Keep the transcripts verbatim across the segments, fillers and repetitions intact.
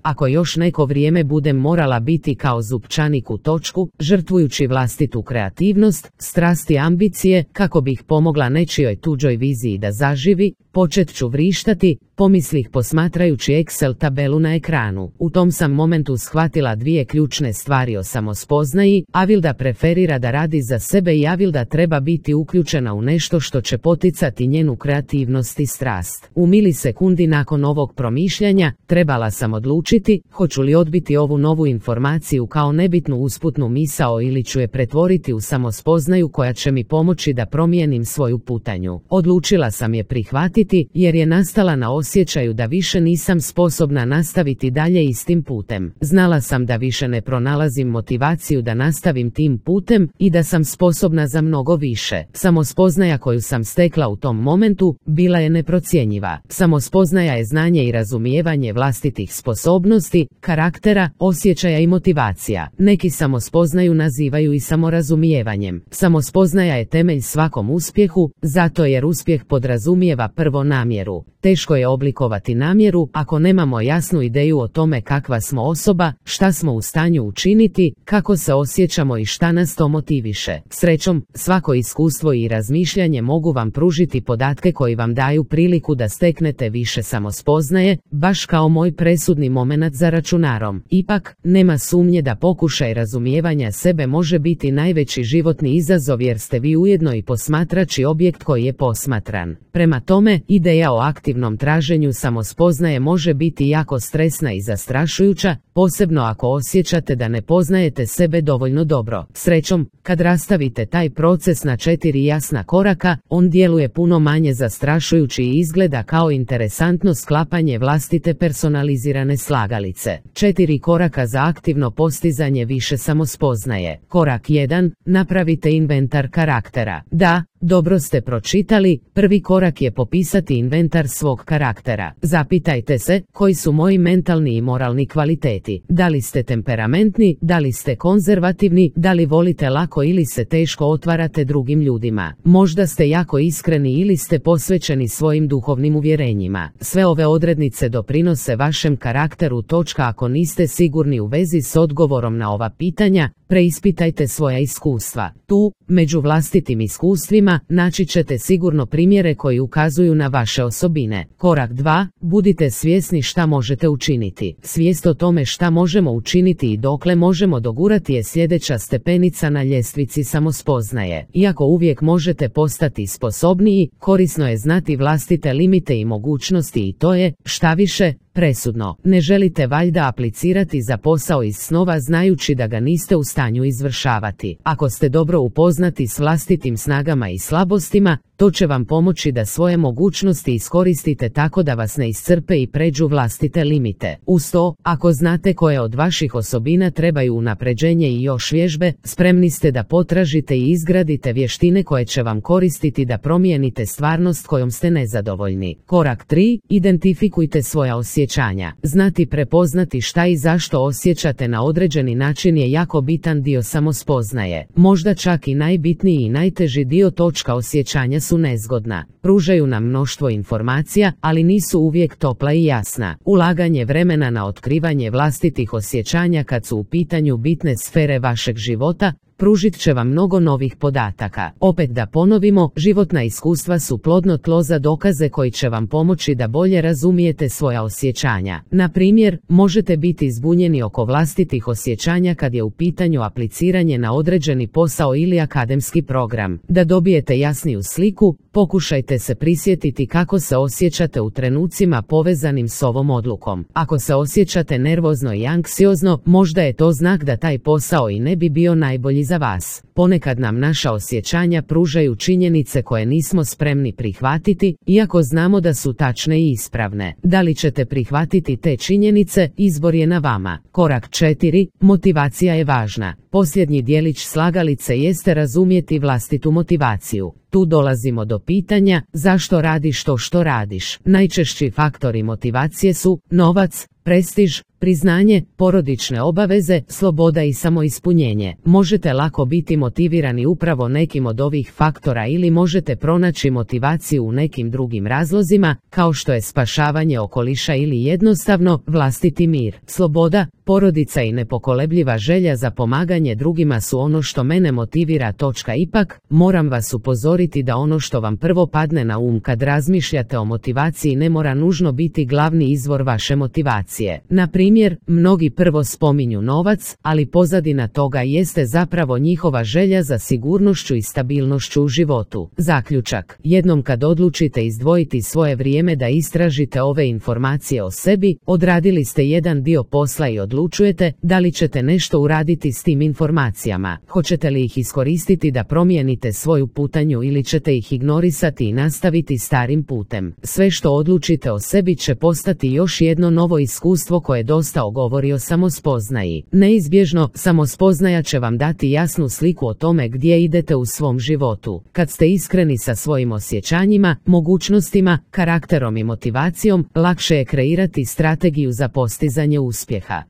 Ako još neko vrijeme budem morala biti kao zupčanik u točku, žrtvujući vlastitu kreativnost, strast i ambicije, kako bih pomogla nečijoj tuđoj viziji da zaživi, počet ću vrištati, pomislih posmatrajući Excel tabelu na ekranu. U tom sam momentu shvatila dvije ključne stvari o samospoznaji. Avilda preferira da radi za sebe i Avilda treba biti uključena u nešto što će poticati njenu kreativnost i strast. U milisekundi nakon ovog promišljanja, trebala sam odlučiti, hoću li odbiti ovu novu informaciju kao nebitnu usputnu misao ili ću je pretvoriti u samospoznaju koja će mi pomoći da promijenim svoju putanju. Odlučila sam je prihvatiti, jer je nastala na osjećaju da više nisam sposobna nastaviti dalje istim putem. Znala sam da više ne pronalazim motivaciju da nastavim tim putem i da sam sposobna za mnogo više. Samospoznaja koju sam stekla u tom momentu bila je neprocjenjiva. Samospoznaja je znanje i razumijevanje vlastitih sposobnosti, karaktera, osjećaja i motivacija. Neki samospoznaju nazivaju i samorazumijevanjem. Samospoznaja je temelj svakom uspjehu, zato jer uspjeh podrazumijeva prvo namjeru. Teško je oblikovati namjeru ako nemamo jasnu ideju o tome kakva smo osoba, šta smo u stanju učiniti, kako se osjećamo i šta nas to motiviše. Srećom, svako iskustvo i razmišljanje mogu vam pružiti podatke koji vam daju priliku da steknete više samospoznaje, baš kao moj presudni momenat za računarom. Ipak, nema sumnje da pokušaj razumijevanja sebe može biti najveći životni izazov jer ste vi ujedno i posmatrač i objekt koji je posmatran. Prema tome, ideja o aktivnom traženju samospoznaje može biti jako stresna i zastrašujuća, posebno ako osjećate da ne poznajete sebe dovoljno dobro. Srećom, kad rastavite taj proces na četiri jasna koraka, on djeluje puno manje zastrašujući i izgleda kao interesantno sklapanje vlastite personalizirane slagalice. Četiri koraka za aktivno postizanje više samospoznaje. Korak jedan. Napravite inventar karaktera. Da, dobro ste pročitali, prvi korak je popisati inventar svog karaktera. Zapitajte se, koji su moji mentalni i moralni kvaliteti. Da li ste temperamentni, da li ste konzervativni, da li volite lako ili se teško otvarate drugim ljudima. Možda ste jako iskreni ili ste posvećeni svojim duhovnim uvjerenjima. Sve ove odrednice doprinose vašem karakteru. Točka. Ako niste sigurni u vezi s odgovorom na ova pitanja, preispitajte svoja iskustva. Tu, među vlastitim iskustvima, naći ćete sigurno primjere koji ukazuju na vaše osobine. Korak dva. Budite svjesni šta možete učiniti. Svijest o tome šta možemo učiniti i dokle možemo dogurati je sljedeća stepenica na ljestvici samospoznaje. Iako uvijek možete postati sposobniji, korisno je znati vlastite limite i mogućnosti i to je, šta više, presudno. Ne želite valjda aplicirati za posao iz snova znajući da ga niste u stanju izvršavati. Ako ste dobro upoznati s vlastitim snagama i slabostima, to će vam pomoći da svoje mogućnosti iskoristite tako da vas ne iscrpe i pređu vlastite limite. Uz to, ako znate koje od vaših osobina trebaju unapređenje i još vježbe, spremni ste da potražite i izgradite vještine koje će vam koristiti da promijenite stvarnost kojom ste nezadovoljni. Korak tri. Identifikujte svoja osjećanja. Znati prepoznati šta i zašto osjećate na određeni način je jako bitan dio samospoznaje. Možda čak i najbitniji i najteži dio. Točka. Osjećanja su nezgodna. Pružaju nam mnoštvo informacija, ali nisu uvijek topla i jasna. Ulaganje vremena na otkrivanje vlastitih osjećanja kad su u pitanju bitne sfere vašeg života, pružit će vam mnogo novih podataka. Opet da ponovimo, životna iskustva su plodno tlo za dokaze koji će vam pomoći da bolje razumijete svoja osjećanja. Na primjer, možete biti zbunjeni oko vlastitih osjećanja kad je u pitanju apliciranje na određeni posao ili akademski program. Da dobijete jasniju sliku, pokušajte se prisjetiti kako se osjećate u trenucima povezanim s ovom odlukom. Ako se osjećate nervozno i anksiozno, možda je to znak da taj posao i ne bi bio najbolji za vas. Ponekad nam naša osjećanja pružaju činjenice koje nismo spremni prihvatiti, iako znamo da su tačne i ispravne. Da li ćete prihvatiti te činjenice, izbor je na vama. Korak četiri. Motivacija je važna. Posljednji dijelić slagalice jeste razumjeti vlastitu motivaciju. Tu dolazimo do pitanja, zašto radiš to što radiš? Najčešći faktori motivacije su novac, prestiž, priznanje, porodične obaveze, sloboda i samoispunjenje. Možete lako biti motivirani upravo nekim od ovih faktora ili možete pronaći motivaciju u nekim drugim razlozima, kao što je spašavanje okoliša ili jednostavno vlastiti mir. Sloboda, porodica i nepokolebljiva želja za pomaganje drugima su ono što mene motivira. Ipak, moram vas upozoriti da ono što vam prvo padne na um kad razmišljate o motivaciji ne mora nužno biti glavni izvor vaše motivacije. Na primjer, mnogi prvo spominju novac, ali pozadina toga jeste zapravo njihova želja za sigurnošću i stabilnošću u životu. Zaključak: jednom kad odlučite izdvojiti svoje vrijeme da istražite ove informacije o sebi, odradili ste jedan dio posla i odlučujete da li ćete nešto uraditi s tim informacijama. Hoćete li ih iskoristiti da promijenite svoju putanju ili ćete ih ignorisati i nastaviti starim putem? Sve što odlučite o sebi će postati još jedno novo iskustvo koje dosta govori o samospoznaji. Neizbježno, samospoznaja će vam dati jasnu sliku o tome gdje idete u svom životu. Kad ste iskreni sa svojim osjećanjima, mogućnostima, karakterom i motivacijom, lakše je kreirati strategiju za postizanje uspjeha.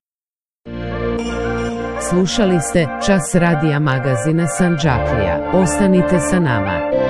Slušali ste Čas radija magazina Sandžaklija. Ostanite sa nama.